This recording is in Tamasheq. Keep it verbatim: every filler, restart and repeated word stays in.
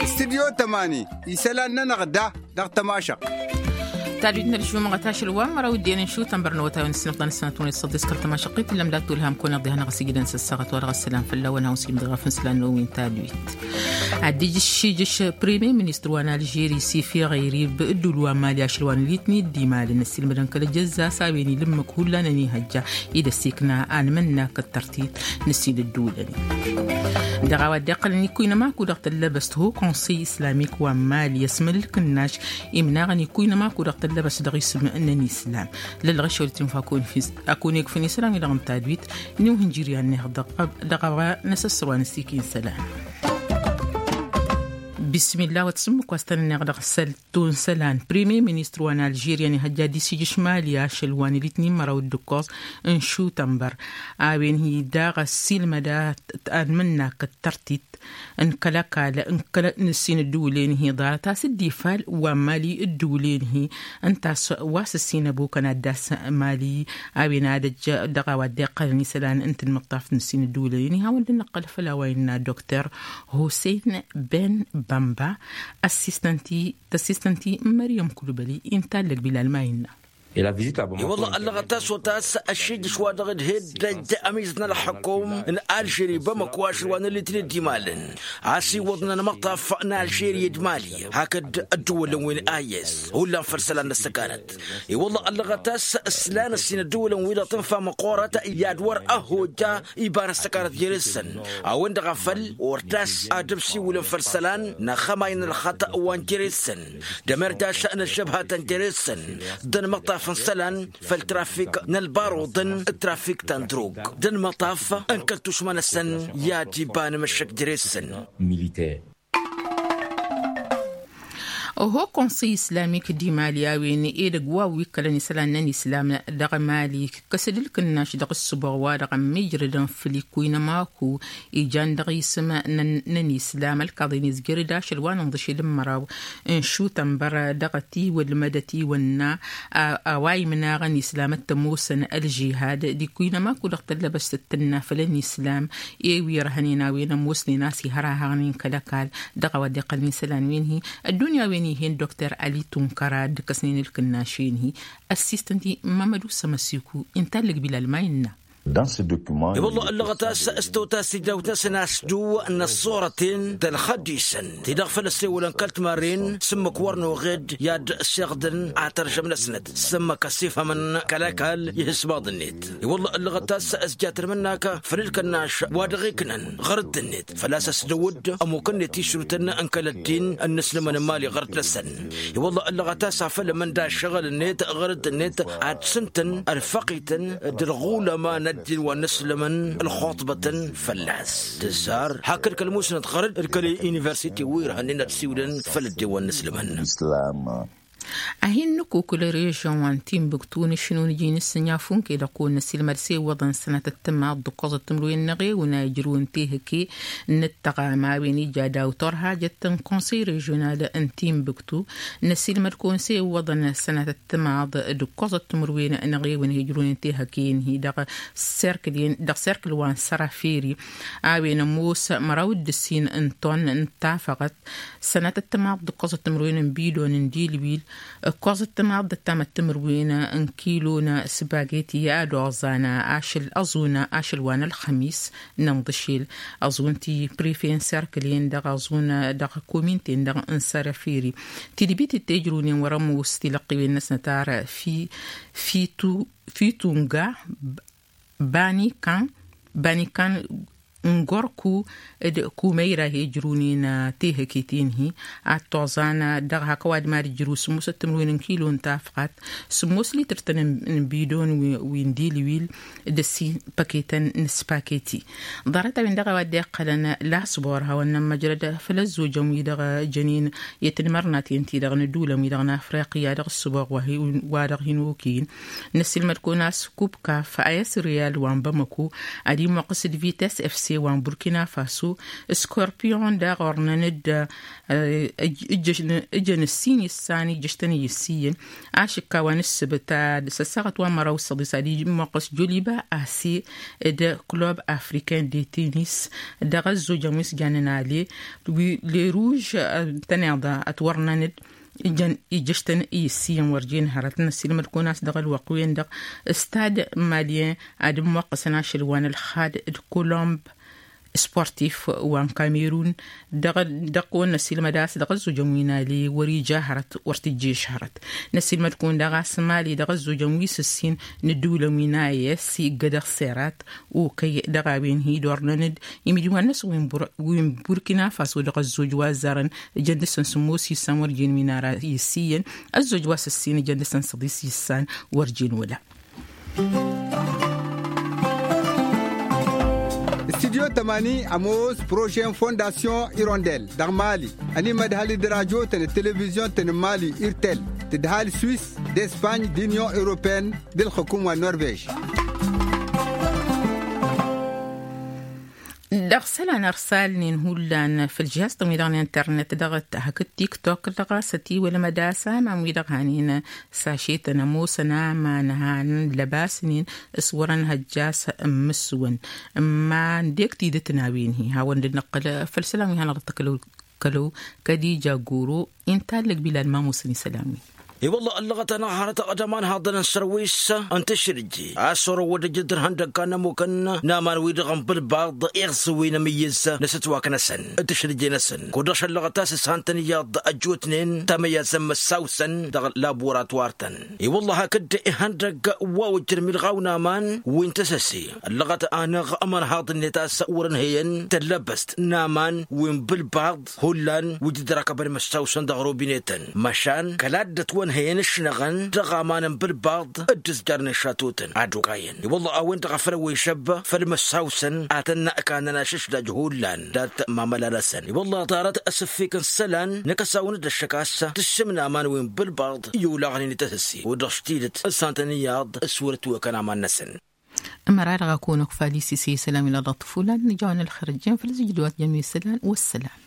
Stidyo tămani isălan-nănăɣ da dăɣ-tămašăɣt. Tadwit n-ălžumăɣăt ašăl wa n-măraw ǝddin n-šutăn bărnăwăt a-wen ǝssǝnăɣ-tăn ǝssănăt-wăn iṣṣăḍ iskăr tămašăɣt-t ǝllăm d-ad-tulhăm kăwăn-iḍihănăɣ s-ijǝdăn s-ăssaɣăt wa dăɣ-ăssălam fălla-wăn hawăn-s imdăɣ afǝn s-lan n-ăwwin tadwit. Ad-dd-ijǝššijǝš premier ministru wa n-alžeri s-ifi ɣayrib ǝddul wa n-mali ašăl wa n-alitni dd-imalăn ăssiilmădăn kăl-ejăzza s-a-wen ilǝmmǝk hullan ănihăjja i-dd-ăssikna anmǝnnak d-tărtit n-ǝssin ădduulăn. Dăɣ-a-wa dd-iqqălăn ikkuynăm aku dăɣ-tăllăbăst ho konsey islamik wa n-mali ăsmălǝl kǝnnaš imnaɣăn ikkuynăm aku dăɣ-tăllăbăst dăɣ-isǝm n-ănislam. Lăllăɣ ăššăwăl tinfa akun-egfǝn isălan-wi-dăɣ n-tadwit n-iwhǝnjir i-ad-neɣ dăɣ-a-wa n-asăssăr wa n-ăssiik insălan. Bismillah wa t-sǝmmǝk wa s-tăn-ănneɣ dăɣ-săl. Tunsălan premier ministru wa n-alžirya n-ihăjja ad-dd-isijǝš mali ašăl wa n-alitnin măraw d-ǝkkoẓ n-šutănbăr a-wen hi-daɣ ăssiilmăd ad-mǝnnak d-tărtit n-kăl-ăkall n-kăl-ăkall n-ǝssin ădduulen-hi ḍarăt a-s dd-ifal wa n-mali ădduulen-hi ǝnta a-s wa s-ǝssin ăbukăn ad-dd-ass mali a-wen ad-ăjj dăɣ-a-wa dd-iqqălăn isălan n-tinmǝṭṭaft n-ǝssin ădduulen-hi hawăn-dd-nǝqqăl făll-a-wa innă dokter hoseyn ben bamba ăssistănti tăssistănti n-măryăm kulbăli intallăg bilal ma innă. I-wălla ăllăɣăt a-s otas ăššijǝš wa dăɣ-dd-heddăj ămiz n-ălxăkum n-alžeri bamăko ašăl wa n-alitni dd-imalăn a-s iwwăḍnen măṭṭaf n-alžeri d-mali hakd ădduwălăn wi n-ayes hullan făll-isălan n-ăssăkanăt. I-wălla ăllăɣăt a-s ǝslan ǝssin ădduwălăn-wi-dăɣ tǝnfa măqqoorăt i-ad-wăr ăhojja iba n-ăssăkanăt jere-săn a-wen-dăɣ a făl ortas ad-ămsiwǝlăn făll-isălan n-axămay n-ălxăṭṭ wa n-jere-săn d-ămerdaš n-ăššăbhatăn jere-săn d-ănmăṭṭaf n-isălan făll-trafik n-ălbaruḍăn d-trafik ta n-drug d-ănmăṭṭaf n-kăl-tušma-năsăn i-ad-iba n-emăššăk jere-săn. Oho konsey islamik d-imali a-wen edăgg wa wi ǝkkălăn isălan n-ănislam dăɣ-mali kăsăd ǝlkǝnnaš dăɣ-ǝssǝboɣ wa dăɣ-ămmijrădăn făll-ikkuynăm aku ijan dăɣ-isǝm n-ănislam ălkaḍen izjăr-dd ašăl wa n-inḍǝšel n-măraw n-šutănbăr dăɣ-ătiwălmăd ătiwănna a-wa imnaɣăn islam d-tămoosăn ălžihad d-ikkuynăm aku dăɣ-tăllăbăst d-tǝnna făll-ănislam i-wi ărhănen a-wen ămoosnen a-s ihărahăɣnen kăl-ăkall dăɣ-a-wa dd-iqqălăn isălan-wen-hi. Ăddunya a-wen ih'-en dokter ali tunkăra dd-ǝkkăsnen ǝlkǝnnaš-en-hi ăssiistăn-ti mamădu sămăsiku. Intallăg bilal ma innă. I-wălla ăllăɣăt a-s s-totas tidawt-năsăn a-s duw n-ăṣṣurăten d-ălxăddisăn ti-dăɣ făl ăssewălăn kăl-timarren s-ǝmmǝk wăr noɣed i-ad-siɣdǝn atărjăm-năsnăt s-ǝmmǝk ăssifhămăn kăl-ăkall ihǝsmaḍ-net. I-wălla ăllăɣăt a-s s-jat ălmǝnnak făll-ǝlkănnaš wa dăɣ-iknăn ɣăr dd-net făl-a-s ăsdăwăd ămmuk-net išrutăn n-kăl-ăddin n-inǝslǝmăn n-imali ɣăr dd-năsăn. I-wălla ăllăɣăt a-s a făl ămănda ašăɣǝl-net ɣăr dd-net ad-sǝntăn ălfăqităn d-ălɣulăma n-ăddin wa n-inǝslǝmăn ălxuṭbătăn fălla-s tǝzzar hakd kăl-musnăt ɣăr dd-kăl-universite wi irhănnen ad-siwǝlăn făll-ăddin wa n-inǝslǝmăn. Ad-hin-nǝkukǝl režăn wa n-tinbǝktu n-ašǝnun iji n-asǝnja funke-dăɣ kăwăn-năsilmăd s-e-iwwăḍăn sănatăt timaḍ d-ǝkkoẓăt timǝrwen n-eɣewǝn a ijrǝwăn tehăke n-ǝttăɣam a-wen ija daw-torhajăt n-konsăy režional n-tinbǝktu. Năsilmăd kăwăn s-e-iwwăḍăn sănatăt timaḍ d-ǝkkoẓăt timǝrwen n-eɣewǝn a ijrǝwăn tehăke-en-hi dăɣ-serkǝl wa n-sărafiri a-wen ămoos măraw d-ǝssin n-ton n-tafăɣăt sănatăt timaḍ d-ǝkkoẓăt timǝrwen n-bidon n-dilwil ǝkkoẓăt timaḍ d-ăttamăt timǝrwen n-kilo n-sbageti ad-oẓan ašăl ăẓun ašăl wa n-ălxămis n-inḍǝšel ăẓun ti prefe n-serkǝl-en dăɣ-ăẓun dăɣ-kominten dăɣ-n-sărăfiri tidbit d-tejrǝwnen wăr-ămoos tilăqqiwen-năsnăt ar fitunga banikan banikan n-gorku d-kumăyra hi-ǝjrǝwnen tehăke-ten-hi ad-toẓan dăɣ-hak ăwadǝm ad-ǝjrǝw sǝmmosăt timǝrwen n-kilo n-tafɣat sǝmmos litǝr-tăn n-bidon wi n-dilwil d-ăssin păketăn n-spaketi. Ḍarăt-a-wen dăɣ-a-wa dd-iqqălăn lasbor hawăn-nămmăjrăd făll-ăzzojăn-wi-dăɣ jănen i-tinmărnaten-ti-dăɣ n-ădulăn-wi-dăɣ n-afriqya dăɣ-ǝssǝboɣ wa dăɣ-hin-okǝyǝn năsilmăd-kăwăn a-s kubkaf a i-ăsriyal wa n-bamăko ad-imuqqǝs d-vitesse fc wa n-burkina faso. Scorpion daɣ ornăn-dd ǝjjăn ǝssin issan ijjăštăn i-issiyăn. Ašǝkka wa n-ǝssǝbǝt ad-săssaɣăt wa n-măraw s-săḍis ad-imoqqăs joliba ase d-club africain de tennis. Dăɣ-ăzzojăn wi s-jannen ale wi leruž tăneḍa ătwărnăn-dd ijjăn ijjăštăn i-issiyăn wăr jen hărăt. Năssiilmăd-kăwăn a-s dăɣ-ălwăqq-wen-dăɣ stad malien ad-ǝmmoqqăsăn ašăl wa n-ălxad d-colomb sportif wa n-kamerun. Dăɣ-kăwăn năssiilmăd a-s dăɣ-ăzzojăn wi n-ale wăr-ija hărăt wăr tǝjješ hărăt. Năssiilmăd-kăwăn daɣ a-s mali dăɣ-ăzzojăn wi s-ǝssin n-ǝddǝwǝlăn wi n-a s-iggădăɣ serat okăy dăɣ-a-wen hi-dd-ornăn-dd imǝjwan-năsăn wi n-burkina faso dăɣ-ăzzoj wa ăzzarăn. Ǝjăn dăɣ-săn sǝmmos issan wăr jen wi n-ara i-ǝssiyăn. Ăzzoj wa s-ǝssin ǝjăn dăɣ-săn săḍis issan wăr jen wăla. Studyo tămani ămoos projet n-fondasyon irondel dăɣ-mali. Ănimădhal d-rajotăn d-televizyon-tăn n-mali irtel tǝdhal swis d-espany d-inyon europene d-ǝlxǝkum wa n-norvej. Dăɣ-isălan ărsalnen hullan făll-jihaz-tăn-wi-dăɣ n-internet dăɣ-t hakd tiktok dăɣ-a-s ătiwălăm ad-asaman-wi-dăɣ hanen s-ašetăn ămoosăn aman hanen lăbasnen s-wărăn hăjjas n-imǝswăn. Ǝmma n-dek tidǝt n-a-wen-hi hawăn-dd-nǝqqǝl făll-isălan wi hanăɣ-dd-tăkkălăw kălăw kădija goro. Inta ǝllăg bilal ma ămoosăn isălan-wi. I-wălla ăllăɣăt-anăɣ hărăt d-aman haḍăn n-sărwis n-tǝšrǝje a-s orăwăd ǝjǝd dăr-ihăndăgg n-ămmukăn n-aman-wi-dăɣ n-bǝlbaḍ iɣzǝw-in amǝyyǝz n-asǝtwak-năsăn d-tǝšrǝje-năsăn. Kud-dăɣ šăllăɣăt a-s s-han-tăn iyyăḍ ăjjootnen tamăyyaẓ n-imǝssawsăn dăɣ-laburatwar-tăn. I-wălla hakd ihăndăgg wa ojjăn milɣaw n-aman wi n-tăsăse ăllăɣăt-anăɣ ămărhaḍ-net a-s wăr-ǝnhăyăn tăllăbăst n-aman wi n-bǝlbaḍ hullan wi dd-ărakăbăn imǝssawsăn dăɣ-robinetăn măšan kăla dd-ătwănhăyăn ǝšnăɣăn dăɣ-aman n-bǝlbaḍ dd-ǝzjarnen šatotăn ad-okayăn. I-wălla a-wen-dăɣ a făl ăwwăyšăb făll-imǝssawsăn ad-tăn-ăkanăn ašǝšdaj hullan dat-mamăla-năsăn. I-wălla ḍarăt asǝffik n-isălan n-akăsawăn-dd ăššăk a-s tǝššǝm n-aman wi n-bǝlbaḍ i-olaɣnen i-tăsǝsse. Wi-dăɣ s-tidǝt s-han-tăn iyyăḍ s-wăr-ătwăkăn aman-năsăn. Ămăra-dăɣ a kăwăn-ăkfal isise isălan wi n-aḍăɣ tǝfulan nǝjawăn ălxer ăjjeen făll-zǝjjǝd wa tǝjjăn wi isălan wăssălam.